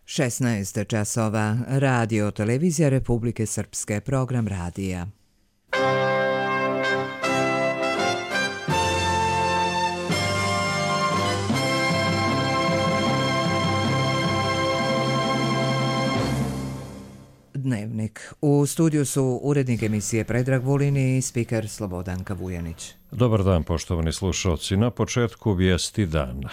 16 časova, Radio Televizija Republike Srpske, program radija. Dnevnik. U studiju su urednik emisije Predrag Vulin i spiker Slobodanka Vujanić. Dobar dan, poštovani slušalci. Na početku vijesti dana.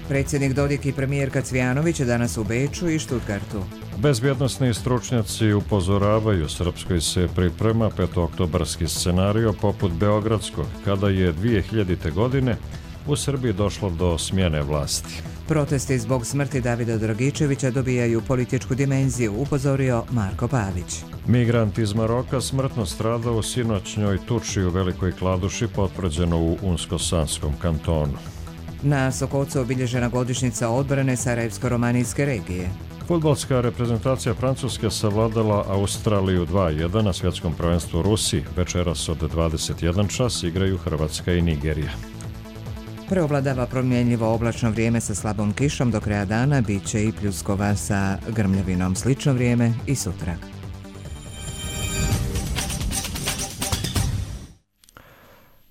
Predsjednik Dodik i premijerka Cvjanović danas u Beču i Stuttgartu. Bezbjednosni stručnjaci upozoravaju, Srpskoj se priprema petooktobarski scenario poput beogradskog, kada je 2000. godine u Srbiji došlo do smjene vlasti. Protesti zbog smrti Davida Dragičevića dobijaju političku dimenziju, upozorio Marko Pavić. Migrant iz Maroka smrtno stradao u sinoćnjoj tuči u Velikoj Kladuši, potvrđeno u Unsko-Sanskom kantonu. Na Sokocu obilježena godišnjica odbrane Sarajevsko-romanijske regije. Fudbalska reprezentacija Francuske savladala Australiju 2:1 na svjetskom prvenstvu u Rusiji. Večeras od 21 čas igraju Hrvatska i Nigerija. Preovladava promjenjivo oblačno vrijeme sa slabom kišom, do kraja dana bit će i pljuskova sa grmljavinom. Slično vrijeme i sutra.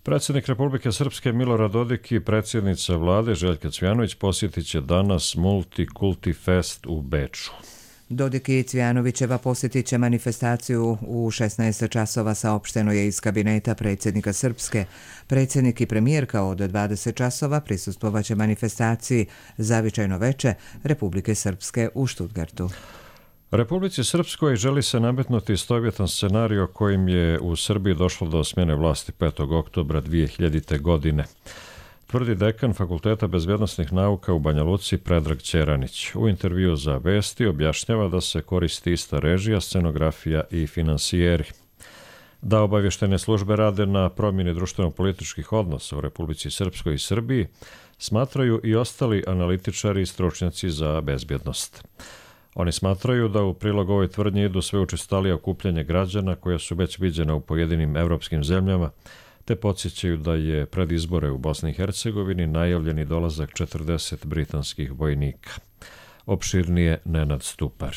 Predsjednik Republike Srpske Milorad Dodik i predsjednica vlade Željka Cvjanović posjetit će danas Multikulti Fest u Beču. Dodik i Cvjanovićeva posjetit će manifestaciju u 16 časova, saopšteno je iz kabineta predsjednika Srpske. Predsjednik i premijerka od 20 časova prisustvovat će manifestaciji Zavičajno veče Republike Srpske u Stuttgartu. Republici Srpskoj želi se nametnuti istovjetan scenario kojim je u Srbiji došlo do smjene vlasti 5. oktobra 2000. godine, tvrdi dekan Fakulteta bezbjednosnih nauka u Banja Luci Predrag Ćeranić. U intervju za Vesti objašnjava da se koristi ista režija, scenografija i finansijeri. Da obavještene službe rade na promjeni društveno-političkih odnosa u Republici Srpskoj i Srbiji, smatraju i ostali analitičari i stručnjaci za bezbjednost. Oni smatraju da u prilog ovoj tvrdnji idu sve učestalija okupljanje građana koja su već viđena u pojedinim evropskim zemljama, te podsjećaju da je pred izbore u Bosni i Hercegovini najavljeni dolazak 40 britanskih vojnika. Opširnije Nenad Stupar.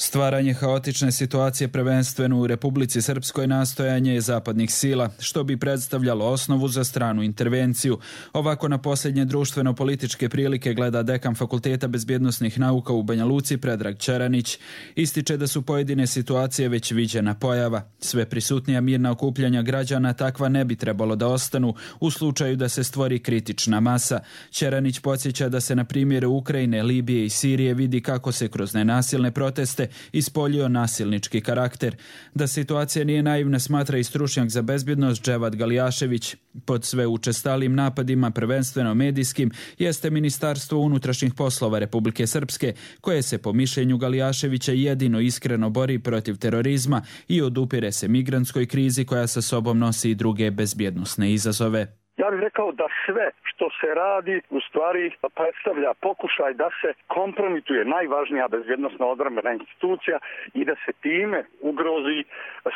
Stvaranje haotične situacije prvenstveno u Republici Srpskoj nastojanje je zapadnih sila, što bi predstavljalo osnovu za stranu intervenciju. Ovako na posljednje društveno-političke prilike gleda dekan Fakulteta bezbjednosnih nauka u Banja Luci Predrag Ćeranić. Ističe da su pojedine situacije već viđena pojava. Sve prisutnija mirna okupljanja građana takva ne bi trebalo da ostanu u slučaju da se stvori kritična masa. Ćeranić podsjeća da se na primjeru Ukrajine, Libije i Sirije vidi kako se kroz nenasilne proteste ispoljio nasilnički karakter. Da situacija nije naivna smatra i stručnjak za bezbjednost Dževad Galijašević. Pod sve učestalim napadima, prvenstveno medijskim, jeste Ministarstvo unutrašnjih poslova Republike Srpske, koje se po mišljenju Galijaševića jedino iskreno bori protiv terorizma i odupire se migrantskoj krizi koja sa sobom nosi i druge bezbjednosne izazove. Ja bih rekao da sve što se radi u stvari predstavlja pokušaj da se kompromituje najvažnija bezbjednosna odbrambena institucija i da se time ugrozi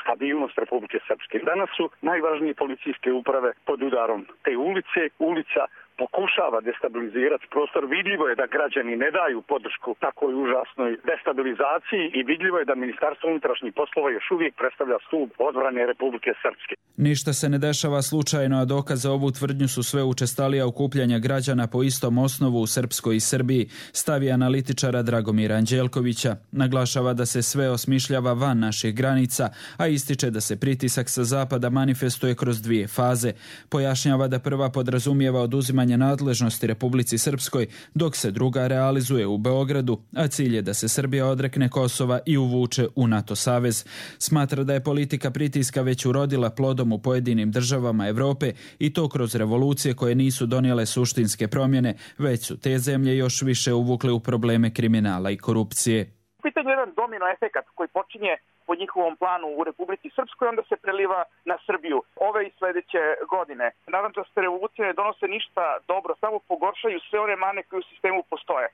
stabilnost Republike Srpske. Danas su najvažnije policijske uprave pod udarom te ulice. Ulica pokušava destabilizirati prostor. Vidljivo je da građani ne daju podršku takoj užasnoj destabilizaciji i vidljivo je da Ministarstvo unutrašnjih poslova još uvijek predstavlja stup odbrane Republike Srpske. Ništa se ne dešava slučajno, a dokaz za ovu tvrdnju su sve učestalija okupljanja građana po istom osnovu u Srpskoj i Srbiji, stavi analitičara Dragomira Anđelkovića. Naglašava da se sve osmišljava van naših granica, a ističe da se pritisak sa zapada manifestuje kroz dvije faze. Pojašnjava da prva podrazumijeva oduzimanje nadležnosti Republici Srpskoj, dok se druga realizuje u Beogradu, a cilj je da se Srbija odrekne Kosova i uvuče u NATO savez. Smatra da je politika pritiska već urodila plodom u pojedinim državama Evrope i to kroz revolucije koje nisu donijele suštinske promjene, već su te zemlje još više uvukle u probleme kriminala i korupcije. U pitanju je jedan domino efekat koji počinje po njihovom planu u Republici Srpskoj, onda se preliva na Srbiju ove i sledeće godine. Narandžaste revolucije ne donose ništa dobro, samo pogoršaju sve one mane koje u sistemu postoje.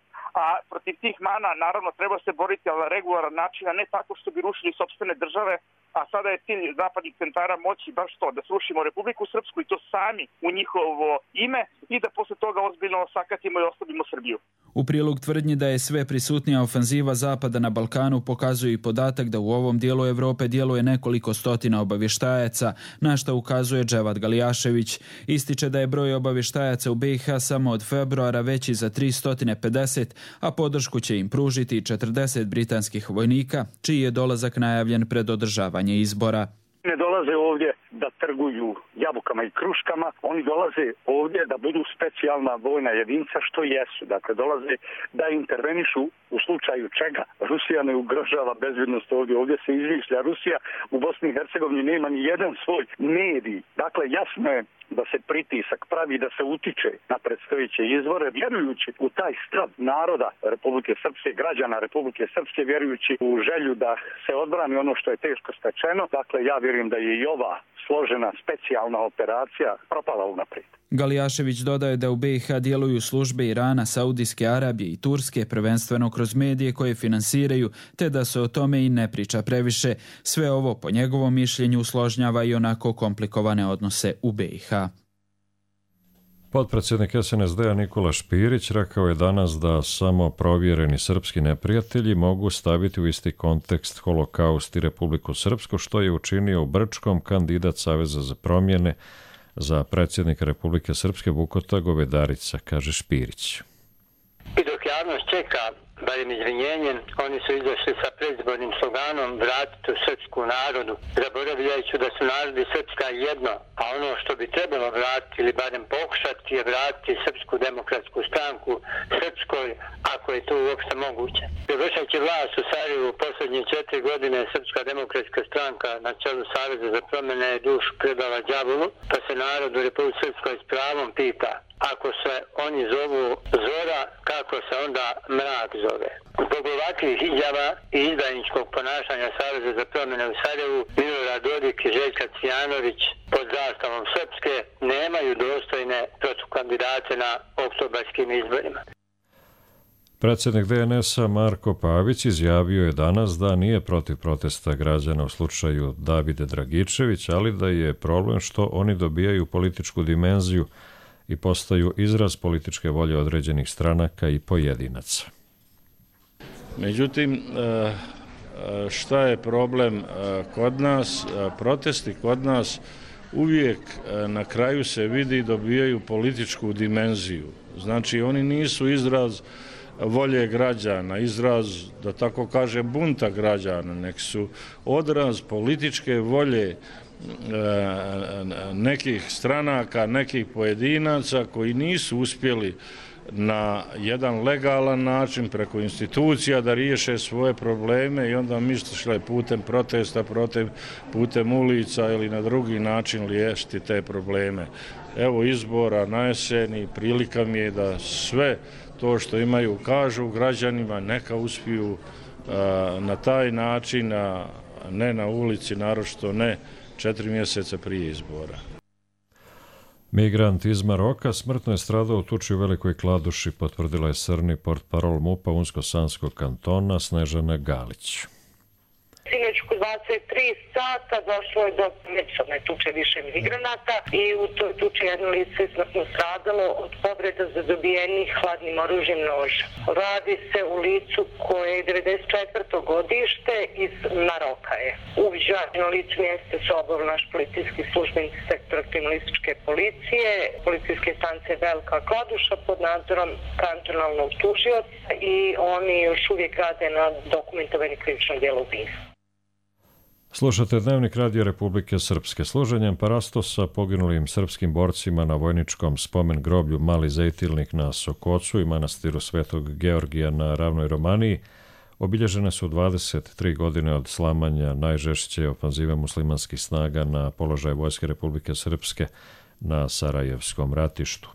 A protiv tih mana naravno treba se boriti, ali na regularan način, a ne tako što bi rušili sopstvene države a sada je cilj zapadnih centara moći baš to, da srušimo Republiku Srpsku i to sami u njihovo ime i da posle toga ozbiljno sakatimo i oslabimo Srbiju. U prilog tvrdnji da je sve prisutnija ofanziva Zapada na Balkanu pokazuje i podatak da u ovom dijelu Evrope djeluje nekoliko stotina obavještajaca, na što ukazuje Dževad Galijašević. Ističe da je broj obavještajaca u BiH samo od februara veći za 350, a podršku će im pružiti 40 britanskih vojnika, čiji je dolazak najavljen pred održavanje izbora. Ne dolaze ovdje da trguju jabukama i kruškama, oni dolaze ovdje da budu specijalna vojna jedinca, što jesu. Dakle, dolaze da intervenišu u slučaju čega Rusija ne ugrožava bezbjednost ovdje. Ovdje se izmišlja Rusija, u Bosni i Hercegovini nema ni jedan svoj medij. Dakle, jasno je da se pritisak pravi, da se utiče na predstojeće izbore, vjerujući u taj stav naroda Republike Srpske, građana Republike Srpske, vjerujući u želju da se odbrani ono što je teško stečeno. Dakle, ja vjerujem da je i ova složena specijalna operacija propala unaprijed. Galijašević dodaje da u BiH djeluju službe Irana, Saudijske Arabije i Turske, prvenstveno kroz medije koje finansiraju, te da se o tome i ne priča previše. Sve ovo, po njegovom mišljenju, usložnjava i onako komplikovane odnose u BiH. Potpredsjednik SNSD-a Nikola Špirić rekao je danas da samo provjereni srpski neprijatelji mogu staviti u isti kontekst Holokaust i Republiku Srpsku, što je učinio u Brčkom kandidat Saveza za promjene za predsjednika Republike Srpske Vukota Govedarica, kaže Špirić. I dok javnost čeka barem izvinjenje, oni su izašli sa predizbornim sloganom vratiti u srpsku narodu, zaboravljajući da su narodi Srpska jedno, a ono što bi trebalo vratiti ili barem pokušati je vratiti Srpsku demokratsku stranku Srpskoj, ako je to uopšte moguće. Vršeći vlast u Sarajevu u posljednje 4 godine Srpska demokratska stranka na čelu Saveza za promjene je dušu predala đavolu, pa se narod u Republici Srpskoj s pravom pita: ako se oni zovu Zora, kako se onda mrak zove? Zbog ovakvih izjava i izdajničkog ponašanja Saveza za promjene u Sarajevu, Milorad Dodik i Željka Cvijanović pod zastavom Srpske nemaju dostojne protukandidate na oktobarskim izborima. Predsjednik DNS-a Marko Pavić izjavio je danas da nije protiv protesta građana u slučaju Davide Dragičević, ali da je problem što oni dobijaju političku dimenziju i postaju izraz političke volje određenih stranaka i pojedinaca. Međutim, šta je problem kod nas? Protesti kod nas uvijek na kraju se vidi i dobijaju političku dimenziju. Znači, oni nisu izraz volje građana, izraz, da tako kaže, bunta građana, nek su odraz političke volje nekih stranaka, nekih pojedinaca koji nisu uspjeli na jedan legalan način preko institucija da riješe svoje probleme i onda misle putem protesta, putem ulica ili na drugi način riješiti te probleme. Evo izbora na jeseni, prilika mi je da sve to što imaju kažu građanima, neka uspiju na taj način, a ne na ulici, naročito ne 4 mjeseca prije izbora. Migrant iz Maroka smrtno je stradao u tuči u Velikoj Kladuši, potvrdila je srni portparol MUP-a Unsko-Sanskog kantona Snežana Galić. Sinoć oko 23 sata došlo je do međusobne tuče više migranata i u toj tuči jedno lice je smrtno stradalo od povreda zadobijenih hladnim oružjem noža. Radi se u licu koje je 94. godište iz Maroka je. Uviđeno lice mjesta su obavili naš policijski službenik sektora kriminalističke policije, policijske stanice Velika Kladuša pod nadzorom kantonalnog tužioca i oni još uvijek rade na dokumentovanju krivičnog djela ubistva. Slušate Dnevnik Radija Republike Srpske. Služenjem parasto sa poginulim srpskim borcima na vojničkom spomen groblju Mali Zejtilnik na Sokocu i manastiru Svetog Georgija na Ravnoj Romaniji obilježene su 23 godine od slamanja najžešće ofanzive muslimanskih snaga na položaj Vojske Republike Srpske na Sarajevskom ratištu.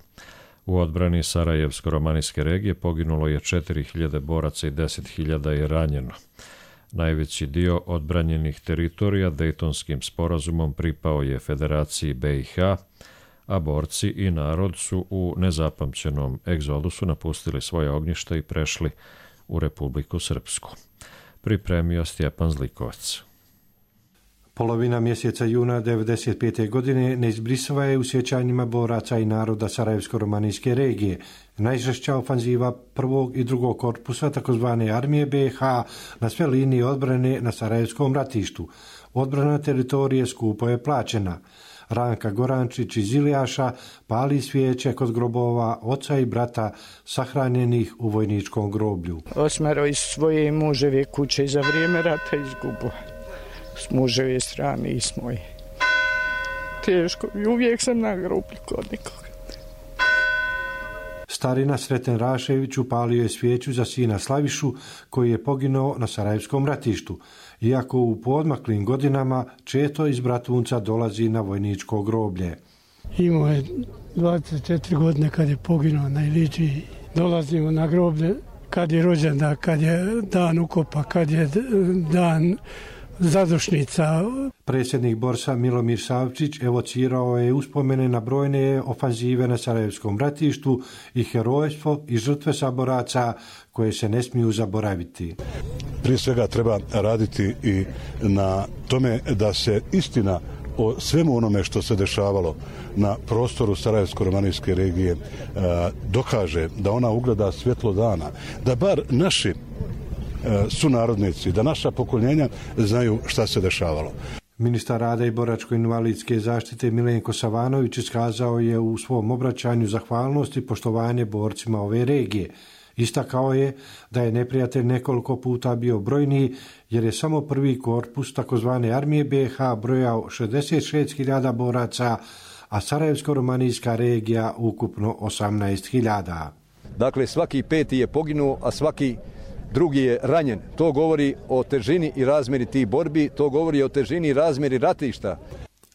U odbrani Sarajevsko-romanijske regije poginulo je 4.000 boraca i 10.000 je ranjeno. Najveći dio odbranjenih teritorija Dejtonskim sporazumom pripao je Federaciji BiH, a borci i narod su u nezapamćenom egzodusu napustili svoje ognjišta i prešli u Republiku Srpsku. Pripremio Stjepan Zlikovac. Polovina mjeseca juna 1995. godine neizbrisava je u sjećanjima boraca i naroda Sarajevsko-romanijske regije. Najžešća ofanziva prvog i drugog korpusa takozvane armije BiH na sve linije odbrane na Sarajevskom ratištu. Odbrana teritorije skupo je plaćena. Ranka Gorančić iz Ilijaša pali svijeće kod grobova oca i brata sahranjenih u vojničkom groblju. 8 iz svoje muževe kuće za vrijeme rata izgubo. S muževe strane i s moje. Teško i uvijek sam na groblju kod nekoga. Starina Sreten Rašević upalio je svijeću za sina Slavišu koji je poginuo na Sarajevskom ratištu. Iako u poodmaklim godinama često iz Bratunca dolazi na vojničko groblje. Imao je 24 godine kad je poginuo na Ilići. Dolazimo na groblje kad je rođendan, kad je dan ukopa, kad je dan zadušnica. Predsjednik Borsa Milomir Savčić evocirao je uspomene na brojne ofanzive na Sarajevskom ratištu i herojstvo i žrtve saboraca koje se ne smiju zaboraviti. Prije svega treba raditi i na tome da se istina o svemu onome što se dešavalo na prostoru Sarajevsko-romanijske regije dokaže, da ona ugleda svjetlo dana, da bar naši sunarodnici, da naša pokoljenja znaju šta se dešavalo. Ministar rada i boračko-invalidske zaštite Milenko Savanović iskazao je u svom obraćanju zahvalnost i poštovanje borcima ove regije. Istakao je da je neprijatelj nekoliko puta bio brojniji jer je samo prvi korpus takozvane armije BiH brojao 66.000 boraca, a Sarajevsko-romanijska regija ukupno 18.000. Dakle, svaki peti je poginuo, a svaki drugi je ranjen. To govori o težini i razmjeri tih borbi, to govori o težini i razmjeri ratišta.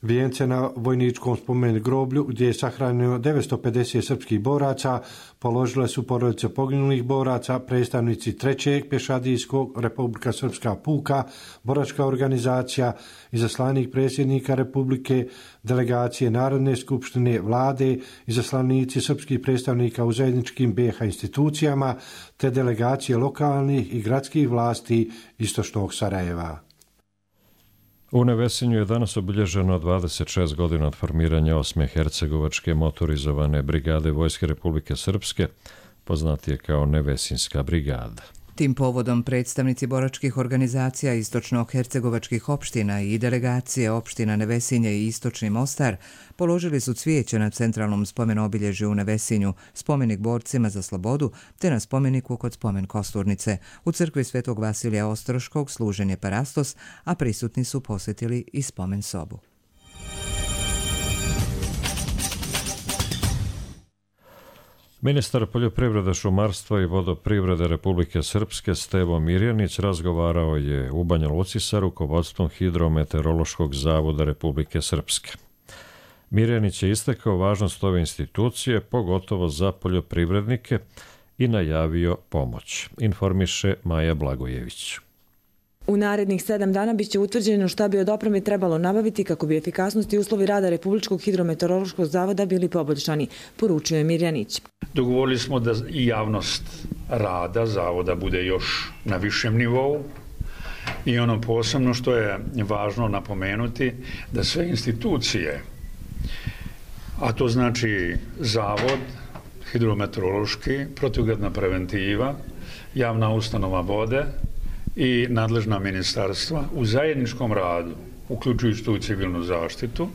Vijence na vojničkom spomen groblju, gdje je sahranjeno 950 srpskih boraca, položile su porodice poginulih boraca, predstavnici 3. pješadijskog Republika Srpska puka, boračka organizacija, izaslanik predsjednika Republike, delegacije Narodne skupštine, vlade, izaslanici srpskih predstavnika u zajedničkim BiH institucijama, te delegacije lokalnih i gradskih vlasti istočnog Sarajeva. U Nevesinju je danas obilježeno 26 godina od formiranja 8. hercegovačke motorizovane brigade Vojske Republike Srpske, poznatije kao Nevesinska brigada. Tim povodom predstavnici boračkih organizacija istočno-hercegovačkih opština i delegacije opština Nevesinje i Istočni Mostar položili su cvijeće na centralnom spomen-obilježju u Nevesinju, spomenik borcima za slobodu, te na spomeniku kod spomen Kosturnice. U crkvi Svetog Vasilija Ostroškog služen je parastos, a prisutni su posjetili i spomen sobu. Ministar poljoprivrede, šumarstva i vodoprivrede Republike Srpske Stevo Mirjanić razgovarao je u Banja Luci sa rukovodstvom Hidrometeorološkog zavoda Republike Srpske. Mirjanić je istakao važnost ove institucije, pogotovo za poljoprivrednike, i najavio pomoć, informiše Maja Blagojević. U narednih 7 dana biće utvrđeno šta bi od opreme trebalo nabaviti kako bi efikasnost i uslovi rada Republičkog hidrometeorološkog zavoda bili poboljšani, poručio je Mirjanić. Dogovorili smo da i javnost rada zavoda bude još na višem nivou i ono posebno što je važno napomenuti da sve institucije, a to znači zavod, hidrometeorološki, protivgradna preventiva, javna ustanova vode i nadležna ministarstva u zajedničkom radu, uključujući tu civilnu zaštitu,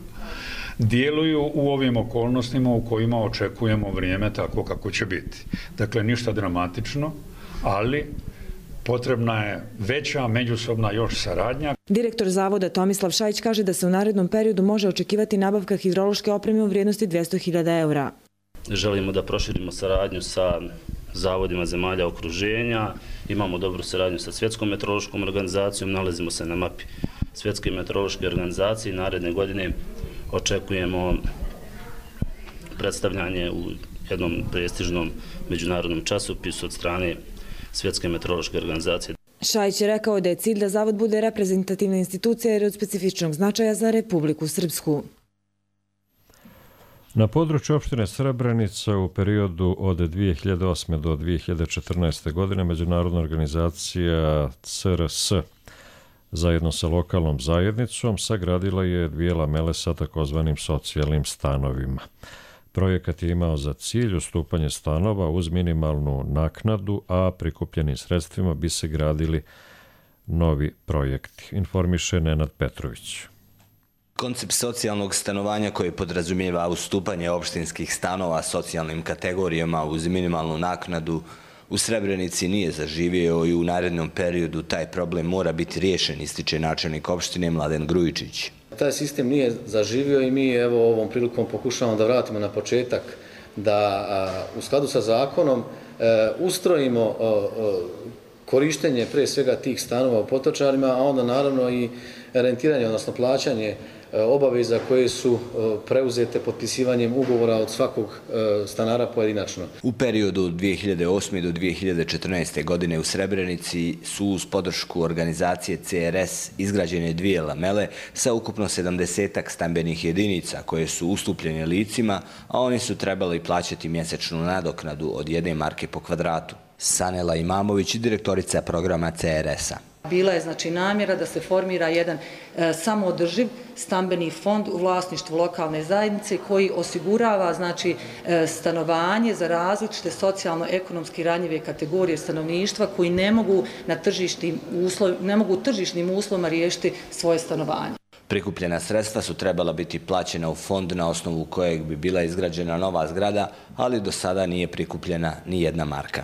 djeluju u ovim okolnostima u kojima očekujemo vrijeme tako kako će biti. Dakle, ništa dramatično, ali potrebna je veća međusobna još saradnja. Direktor zavoda Tomislav Šajić kaže da se u narednom periodu može očekivati nabavka hidrološke opreme u vrijednosti 200.000 eura. Želimo da proširimo saradnju sa zavodima zemalja okruženja, imamo dobru saradnju sa Svjetskom meteorološkom organizacijom, nalazimo se na mapi Svjetske meteorološke organizacije i naredne godine očekujemo predstavljanje u jednom prestižnom međunarodnom časopisu od strane Svjetske meteorološke organizacije. Šajić je rekao da je cilj da zavod bude reprezentativna institucija jer je od specifičnog značaja za Republiku Srpsku. Na području opštine Srebrenica u periodu od 2008. do 2014. godine Međunarodna organizacija CRS Zajedno sa lokalnom zajednicom sagradila je 2 lamele sa takozvanim socijalnim stanovima. Projekat je imao za cilj ustupanje stanova uz minimalnu naknadu, a prikupljenim sredstvima bi se gradili novi projekti, informiše Nenad Petrović. Koncept socijalnog stanovanja koji podrazumijeva ustupanje opštinskih stanova socijalnim kategorijama uz minimalnu naknadu u Srebrenici nije zaživio i u narednom periodu taj problem mora biti riješen, ističe načelnik opštine Mladen Grujičić. Taj sistem nije zaživio i mi evo ovom prilikom pokušavamo da vratimo na početak, da u skladu sa zakonom ustrojimo korištenje pre svega tih stanova u Potočarima, a onda naravno i rentiranje, odnosno plaćanje obaveza koje su preuzete potpisivanjem ugovora od svakog stanara pojedinačno. U periodu od 2008. do 2014. godine u Srebrenici su uz podršku organizacije CRS izgrađene 2 lamele sa ukupno 70 stambenih jedinica koje su ustupljene licima, a oni su trebali plaćati mjesečnu nadoknadu od 1 marke po kvadratu. Sanela Imamović, direktorica programa CRS-a. Bila je znači namjera da se formira jedan samoodrživ stambeni fond u vlasništvu lokalne zajednice koji osigurava znači stanovanje za različite socijalno-ekonomski ranjive kategorije stanovništva koji ne mogu tržišnim uslovima riješiti svoje stanovanje. Prikupljena sredstva su trebala biti plaćena u fond na osnovu kojeg bi bila izgrađena nova zgrada, ali do sada nije prikupljena ni 1 marka.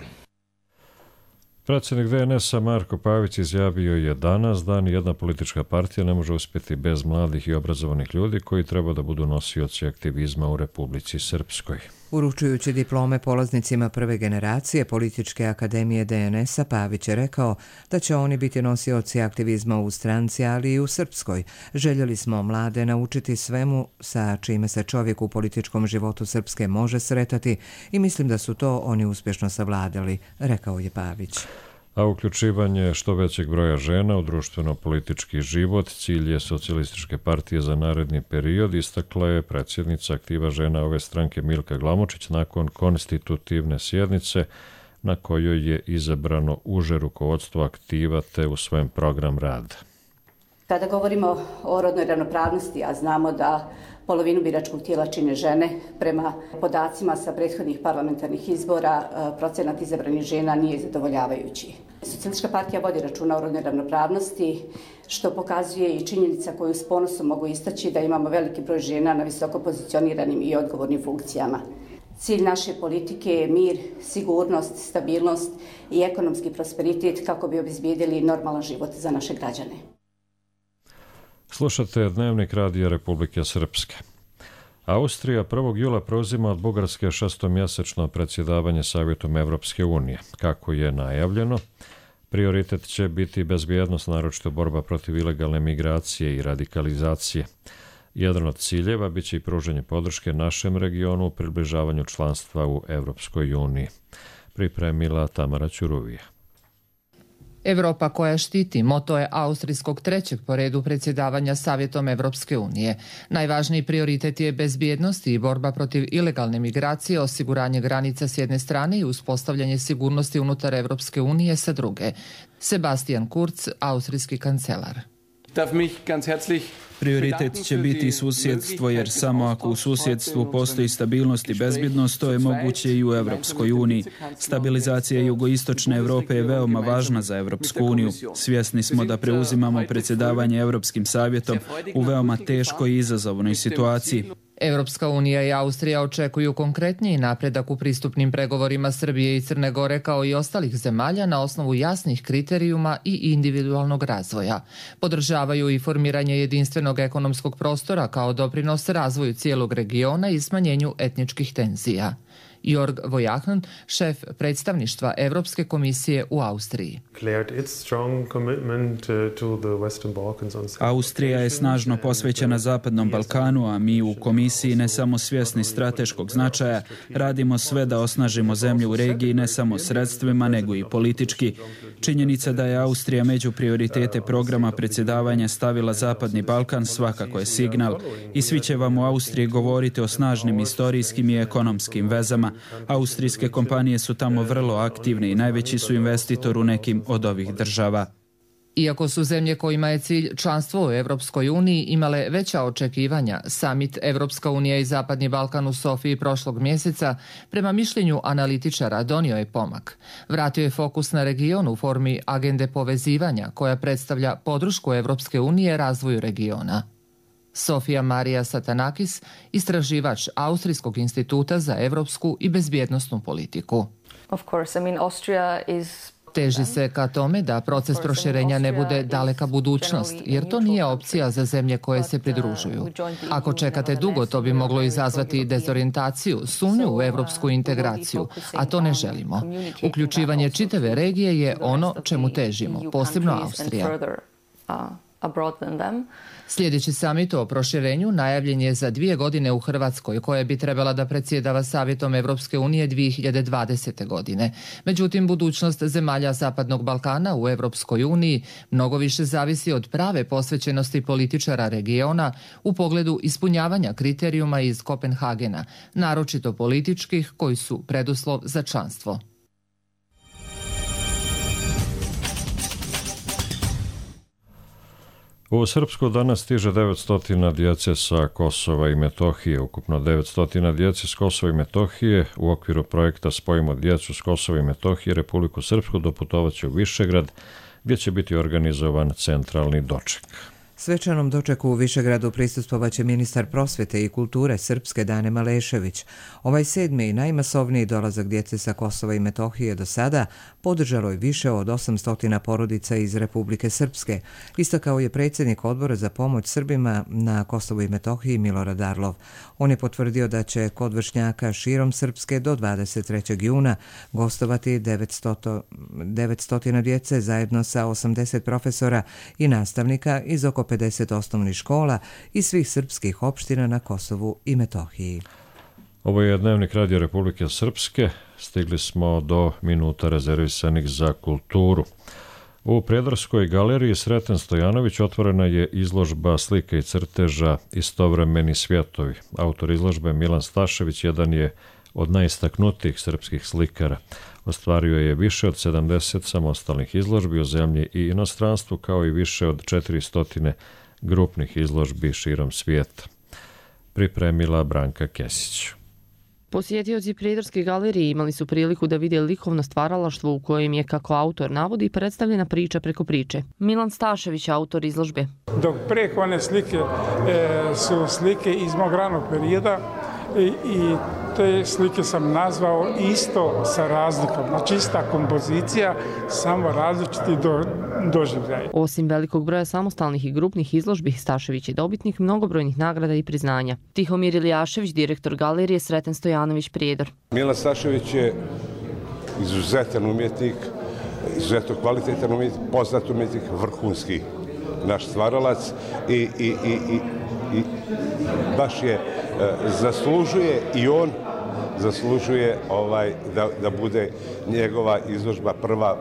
Predsjednik DNS-a Marko Pavić izjavio je danas da nijedna politička partija ne može uspjeti bez mladih i obrazovanih ljudi koji treba da budu nosioci aktivizma u Republici Srpskoj. Uručujući diplome polaznicima prve generacije Političke akademije DNS-a, Pavić je rekao da će oni biti nosioci aktivizma u stranci, ali i u Srpskoj. Željeli smo mlade naučiti svemu sa čime se čovjek u političkom životu Srpske može sretati i mislim da su to oni uspješno savladali, rekao je Pavić. A uključivanje što većeg broja žena u društveno-politički život cilj je Socijalističke partije za naredni period, istakla je predsjednica aktiva žena ove stranke Milka Glamočić nakon konstitutivne sjednice na kojoj je izabrano uže rukovodstvo aktiva te usvojen program rada. Kada govorimo o rodnoj ravnopravnosti, a znamo da polovinu biračkog tijela čine žene, prema podacima sa prethodnih parlamentarnih izbora procenat izabranih žena nije zadovoljavajući. Socijalistička partija vodi računa o rodnoj ravnopravnosti, što pokazuje i činjenica koju s ponosom mogu istaći da imamo veliki broj žena na visoko pozicioniranim i odgovornim funkcijama. Cilj naše politike je mir, sigurnost, stabilnost i ekonomski prosperitet kako bi obezbijedili normalan život za naše građane. Slušate Dnevnik Radija Republike Srpske. Austrija 1. jula preuzima od Bugarske 6-mjesečno predsjedavanje Savjetom Evropske unije. Kako je najavljeno, prioritet će biti bezbjednost, naročito borba protiv ilegalne migracije i radikalizacije. Jedan od ciljeva biće i pružanje podrške našem regionu u približavanju članstva u Evropskoj uniji. Pripremila Tamara Ćuruvija. Evropa koja štiti moto je austrijskog 3. po redu predsjedavanja Savjetom Evropske unije. Najvažniji prioritet je bezbjednost i borba protiv ilegalne migracije, osiguranje granica s jedne strane i uspostavljanje sigurnosti unutar Evropske unije sa druge. Sebastian Kurz, austrijski kancelar. Prioritet će biti susjedstvo, jer samo ako u susjedstvu postoji stabilnost i bezbjednost, to je moguće i u Evropskoj uniji. Stabilizacija jugoistočne Evrope je veoma važna za Evropsku uniju. Svjesni smo da preuzimamo predsjedavanje Evropskim savjetom u veoma teškoj i izazovnoj situaciji. Evropska unija i Austrija očekuju konkretniji napredak u pristupnim pregovorima Srbije i Crne Gore kao i ostalih zemalja na osnovu jasnih kriterijuma i individualnog razvoja. Podržavaju i formiranje jedinstvenog ekonomskog prostora kao doprinos razvoju cijelog regiona i smanjenju etničkih tenzija. Jorg Vojakn, šef predstavništva Evropske komisije u Austriji. Austrija je snažno posvećena Zapadnom Balkanu, a mi u komisiji ne samo svjesni strateškog značaja, radimo sve da osnažimo zemlju u regiji ne samo sredstvima, nego i politički. Činjenica da je Austrija među prioritete programa predsjedavanja stavila Zapadni Balkan svakako je signal i svi će vam u Austriji govoriti o snažnim istorijskim i ekonomskim vezama. Austrijske kompanije su tamo vrlo aktivne i najveći su investitor u nekim od ovih država. Iako su zemlje kojima je cilj članstvo u Evropskoj uniji imale veća očekivanja, samit Evropska unija i Zapadni Balkan u Sofiji prošlog mjeseca, prema mišljenju analitičara, donio je pomak. Vratio je fokus na region u formi agende povezivanja koja predstavlja podršku Evropske unije razvoju regiona. Sofija Marija Satanakis, istraživač Austrijskog instituta za evropsku i bezbjednosnu politiku. Teži se ka tome da proces proširenja ne bude daleka budućnost, jer to nije opcija za zemlje koje se pridružuju. Ako čekate dugo, to bi moglo izazvati dezorijentaciju, sumnju u evropsku integraciju, a to ne želimo. Uključivanje čitave regije je ono čemu težimo, posebno Austrija. Sljedeći samit o proširenju najavljen je za 2 godine u Hrvatskoj, koja bi trebala da predsjedava Savjetom Evropske unije 2020. godine. Međutim, budućnost zemalja Zapadnog Balkana u Evropskoj uniji mnogo više zavisi od prave posvećenosti političara regiona u pogledu ispunjavanja kriterijuma iz Kopenhagena, naročito političkih koji su preduslov za članstvo. U Srpsku danas stiže 900 djece sa Kosova i Metohije. Ukupno 900 djece s Kosova i Metohije u okviru projekta Spojimo djecu s Kosova i Metohije Republiku Srpsku doputovaće u Višegrad, gdje će biti organizovan centralni doček. Svečanom dočeku u Višegradu prisustvovaće ministar prosvjete i kulture Srpske Dane Malešević. Ovaj 7. i najmasovniji dolazak djece sa Kosova i Metohije do sada podržalo je više od 800 porodica iz Republike Srpske, istakao je predsjednik Odbora za pomoć Srbima na Kosovu i Metohiji Milorad Arlov. On je potvrdio da će kod vršnjaka širom Srpske do 23. juna gostovati 900 djece zajedno sa 80 profesora i nastavnika iz oko 50 osnovnih škola i svih srpskih opština na Kosovu i Metohiji. Ovo je Dnevnik Radio Republike Srpske. Stigli smo do minuta rezervisanih za kulturu. U Prijedorskoj galeriji Sreten Stojanović otvorena je izložba slika i crteža Istovremeni svjetovi. Autor izložbe Milan Stašević jedan je od najistaknutijih srpskih slikara. Ostvario je više od 70 samostalnih izložbi u zemlji i inostranstvu, kao i više od 400 grupnih izložbi širom svijeta. Pripremila Branka Kesić. Posjetioci Prijedorske galerije imali su priliku da vide likovno stvaralaštvo u kojem je, kako autor navodi, predstavljena priča preko priče. Milan Stašević, autor izložbe. Dok preko one slike su slike iz mog ranog perioda i te slike sam nazvao isto sa razlikom. Znači ista kompozicija, samo različiti doživljaj. Osim velikog broja samostalnih i grupnih izložbi, Stašević je dobitnik mnogobrojnih nagrada i priznanja. Tihomir Iljašević, direktor galerije Sreten Stojanović Prijedor. Milan Stašević je izuzetan umjetnik, izuzetno kvalitetan umjetnik, poznat umjetnik, vrhunski naš stvaralac i baš je zaslužuje i on zaslužuje da bude njegova izložba prva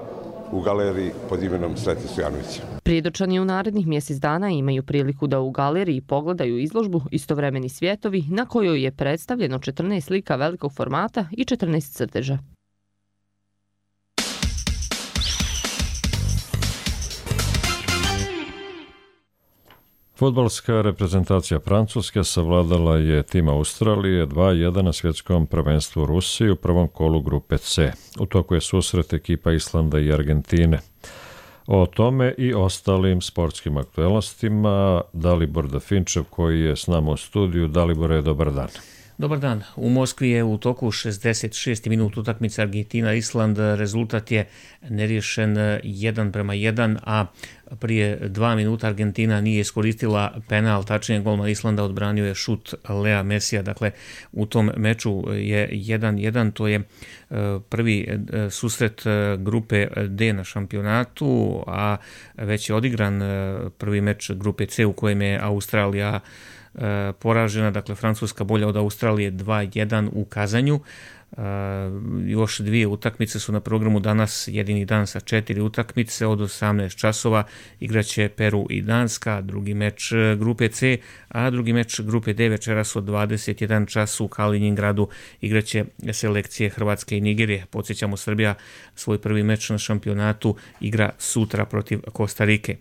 u galeriji pod imenom Sreten Stojanović. Prijedorčani u narednih mjesec dana imaju priliku da u galeriji pogledaju izložbu Istovremeni svjetovi, na kojoj je predstavljeno 14 slika velikog formata i 14 crteža. Fudbalska reprezentacija Francuske savladala je tim Australije 2-1 na svjetskom prvenstvu Rusiji u prvom kolu grupe C. U toku je susret ekipa Islanda i Argentine. O tome i ostalim sportskim aktualnostima Dalibor Dafinčev, koji je s nama u studiju. Dalibore, dobar dan. Dobar dan. U Moskvi je u toku 66. minut utakmice Argentina-Island. Rezultat je neriješen 1:1, a prije 2 minuta Argentina nije iskoristila penal, tačnije golman Islanda odbranio je šut Lea Mesija. Dakle, u tom meču je 1:1, to je prvi susret grupe D na šampionatu, a već je odigran prvi meč grupe C u kojem je Australija poražena, dakle Francuska bolja od Australije 2-1 u Kazanju. Još 2 utakmice su na programu danas, jedini dan sa 4 utakmice. Od 18 časova igraće Peru i Danska, drugi meč grupe C, a drugi meč grupe D večeras od 21 čas u Kaliningradu igraće selekcije Hrvatske i Nigerije. Podsjećamo, Srbija svoj prvi meč na šampionatu igra sutra protiv Kostarike.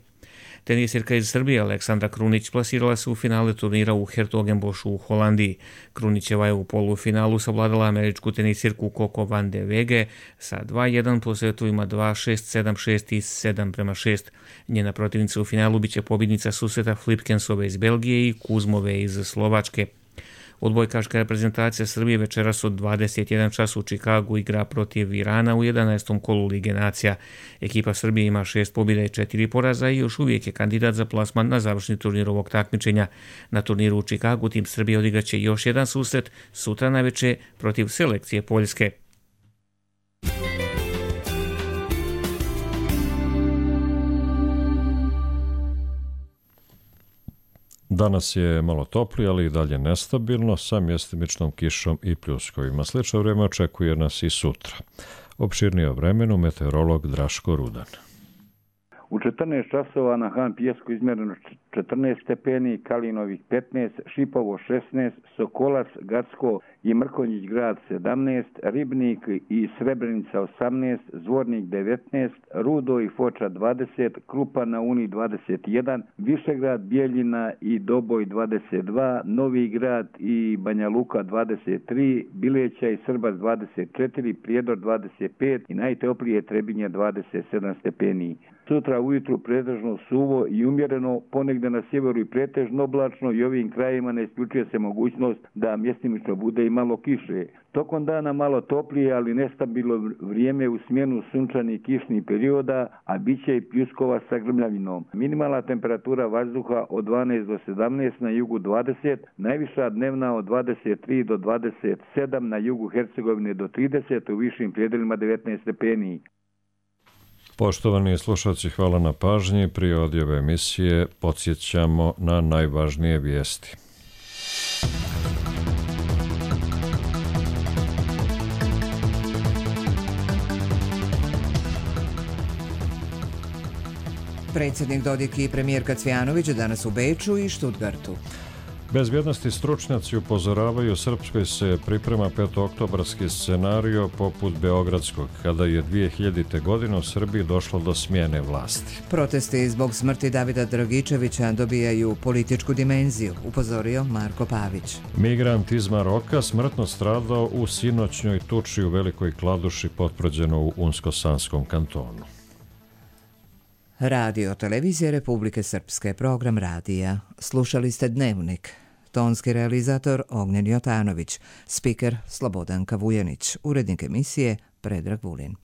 Tenisirka iz Srbije Aleksandra Krunić plasirala se u finale turnira u Hertogenbošu u Holandiji. Krunićeva je u polufinalu savladala američku tenisirku Coco van de Wege sa 2-1 po setovima 2-6, 7-6 i 7-6. Njena protivnica u finalu biće pobjednica susreta Flipkensove iz Belgije i Kuzmove iz Slovačke. Odbojkaška reprezentacija Srbije večeras od 21 čas u Čikagu igra protiv Irana u 11. kolu Lige nacija. Ekipa Srbije ima 6 pobjeda i 4 poraza i još uvijek je kandidat za plasman na završni turnir ovog takmičenja. Na turniru u Čikagu tim Srbije odigraće još jedan susret sutra navečer protiv selekcije Poljske. Danas je malo toplije, ali i dalje nestabilno, sa mjestimičnom kišom i pljuskovima. Slično vrijeme očekuje nas i sutra. Opširnije o vremenu meteorolog Draško Rudan. U 14 časova na Han Pijesku izmjereno 14 stepeni, Kalinovih 15, Šipovo 16, Sokolac, Gacko i Mrkonjić grad 17, Ribnik i Srebrenica 18, Zvornik 19, Rudo i Foča 20, Krupa na Uni 21, Višegrad, Bijeljina i Doboj 22, Novi grad i Banja Luka 23, Bileća i Srbac 24, Prijedor 25 i najtoplije Trebinje 27 stepeni. Sutra ujutru pretežno suvo i umjereno, ponegdje na sjeveru i pretežno oblačno i ovim krajima ne isključuje se mogućnost da mjestimično bude i malo kiše. Tokom dana malo toplije, ali nestabilno vrijeme u smjenu sunčanih kišnih perioda, a bit će i pljuskova sa grmljavinom. Minimalna temperatura vazduha od 12 do 17, na jugu 20, najviša dnevna od 23 do 27, na jugu Hercegovine do 30, u višim predelima 19 stepeni. Poštovani slušalci, hvala na pažnji. Prije odjave emisije podsjećamo na najvažnije vijesti. Predsjednik Dodik i premijerka Cvjanović danas u Beču i Štutgartu. Bezbjednosti stručnjaci upozoravaju, Srpskoj se priprema petooktobarski scenario poput beogradskog, kada je 2000. godine u Srbiji došlo do smjene vlasti. Protesti zbog smrti Davida Dragičevića dobijaju političku dimenziju, upozorio Marko Pavić. Migrant iz Maroka smrtno stradao u sinoćnjoj tuči u Velikoj Kladuši, potvrđeno u Unsko-Sanskom kantonu. Radio Televizije Republike Srpske, program radija. Slušali ste Dnevnik. Tonski realizator Ognjen Jotanović, spiker Slobodanka Vujanić, urednik emisije Predrag Vulin.